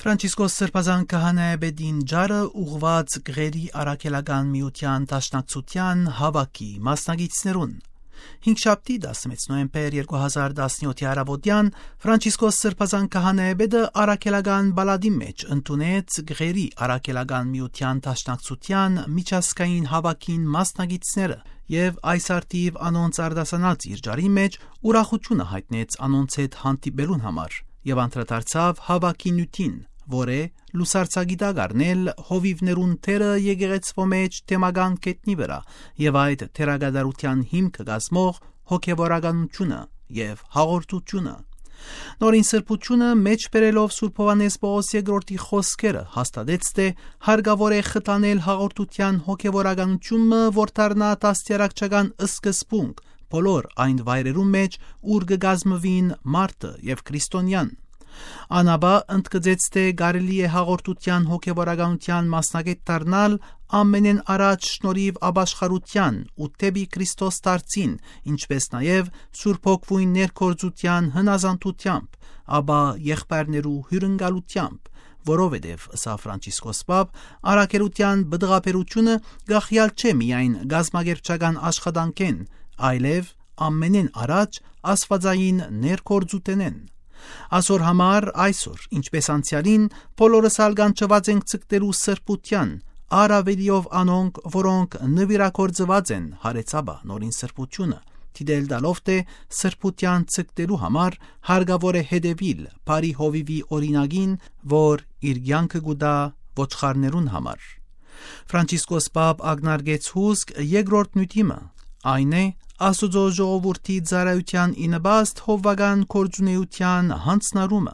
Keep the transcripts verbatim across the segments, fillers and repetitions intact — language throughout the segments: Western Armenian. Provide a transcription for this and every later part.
Ֆրանցիսկոս Սրբազան քահանայապետին ճառը ուղղուած Գղերի առաքելական միութեան դաշնակցութեան հաւաքի մասնակիցներուն։ Հինգշաբթի, տասնմեկ նոյեմբեր երկու հազար տասնեթի առաւօտեան, Ֆրանցիսկոս Սրբազան քահանայապետը առաքելական պալատի մէջ ընդունեց Գղերի առաքելական միութեան դաշնակցութեան միջազգային հաւաքին մասնակիցները եւ այս արդիւ անոնց արտասանած իր ճառի մէջ ուրախութիւնը յայտնեց անոնց հետ հանդիպելուն համար եւ անդրադարձաւ հաւաքի նիւթին, որ է լուսարձակի տակ առնել հովիւներուն դերը եկեղեցւոյ մէջ թեմական գետնի վրայ եւ այդ դերակատարութեան հիմքը կազմող հոգեւորականութիւնը եւ հաղորդութիւնը։ Նորին սրբութիւնը մէջ բերելով Սուրբ Յովհաննէս Պողոս երկրորդի խօսքերը հաստատեց, թէ հարկաւոր է խթանել հաղորդութեան հոգեւորականութիւնը, որ դառնայ դաստիարակչական սկզբունք բոլոր այն վայրերուն մէջ, ուր կը կազմուին մարդը եւ քրիստոնեան։ Ան ապա ընդգծեց, թէ կարելի է հաղորդութեան հոգեւորականութեան մասնակէտ դառնալ ամենէն առաջ շնորհիւ ապաշխարութեան ու դէպի Քրիստոս դարձին, ինչպէս նաեւ Սուրբ Հոգւոյն ներգործութեան հնազանդութեամբ, ապա եղբայրներու հիւրընկալութեամբ, որովհետեւ, ըսաւ Ֆրանցիսկոս Պապ, առաքելութեան պտղաբերութիւնը կախեալ չէ միայն կազմակերպչական աշխատանքէն, այլեւ ամենէն առաջ աստուածային ներգործութենէն։ Ասոր համար այսօր, ինչպէս անցեալին, բոլորս ալ կանչուած ենք ձգտելու սրբութեան, առաւելիով անոնք, որոնք նուիրագործուած են ՅարեЦապ Նորին Սրբութիւնը, դիտել տալով, թէ սրբութեան ձգտելու համար հարկաւոր է հետեւիլ բարի հովիւի օրինակին, որ իր կեանքը կու տայ ոչխարներուն համար։ Ֆրանցիսկոս Պապ ակնարկեց հուսկ երկրորդ նիւթի մը, այն է Աստուծոյ ժողովուրդի ծառայութեան ի նպաստ հովուական գործունէութեան յանձնառումը։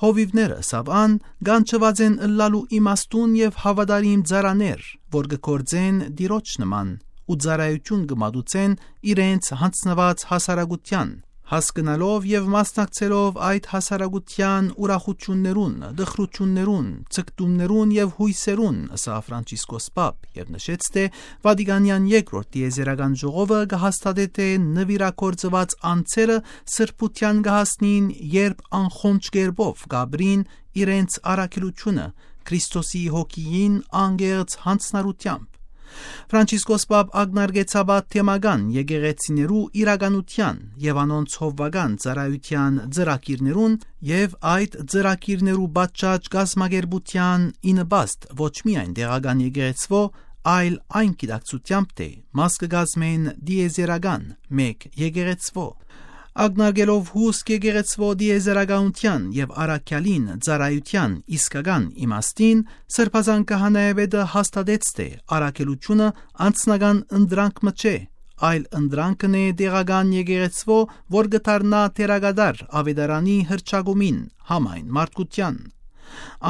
Հովիւները, ըսաւ ան, կանչուած են ըլլալու իմաստուն եւ հաւատարիմ ծառաներ, որ կը գործեն Տիրոջ նման ու ծառայութիւն կը մատուցեն իրենց յանձնուած հասարակութեան, հասկնալով եւ մասնակցելով այդ հասարակութեան ուրախութիւններուն, տխրութիւններուն, ձգտումներուն եւ յոյսերուն, ըսաւ Ֆրանցիսկոս Պապ եւ նշեց, թէ Վատիկանեան երկրորդ տիեզերական ժողովը կը հաստատէ, թէ նուիրագործուած անձերը սրբութեան կը հասնին, երբ անխոնջ կերպով կ'ապրին իրենց առաքելութիւնը Քրիստոսի հոգիին անկեղծ յանձնառութեամբ։ Ֆրանցիսկոս Պապ ակնարկեց ապա թեմական եկեղեցիներու իրականութեան եւ անոնց հովուական ծառայութեան ծրագիրներուն եւ այդ ծրագիրներու պատշաճ կազմակերպութեան ի նպաստ ոչ միայն տեղական եկեղեցւոյ, այլ այն գիտակցութեամբ, թէ մաս կը կազմեն տիեզերական մէկ եկեղեցւոյ։ Ակնարկելով հուսկ եկեղեցւոյ տիեզերականութեան եւ առաքեալին ծառայութեան իսկական իմաստին, Սրբազան քահանայապետը հաստատեց, թէ առաքելութիւնը անձնական ընտրանք մը չէ, այլ ընտրանքն է տեղական եկեղեցւոյ, որ կը դառնայ դերակատար աւետարանի հռչակումին համայն մարդկութեան։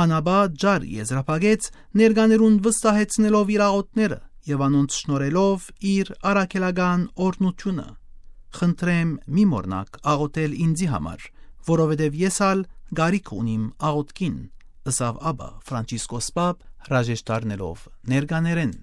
Ան ապա ճառ եզրափակեց, ներկաներուն վստահեցնելով իր աղօթքները եւ անոնց շնորհելով իր առաքելական օրհնութիւնը։ «Խնդրեմ, մի մոռնաք աղօթել ինծի համար, որովհետեւ ես ալ կարիք ունիմ աղօթքին», ըսաւ ապա Ֆրանցիսկոս Պապ, հրաժեշտ առնելով ներկաներէն։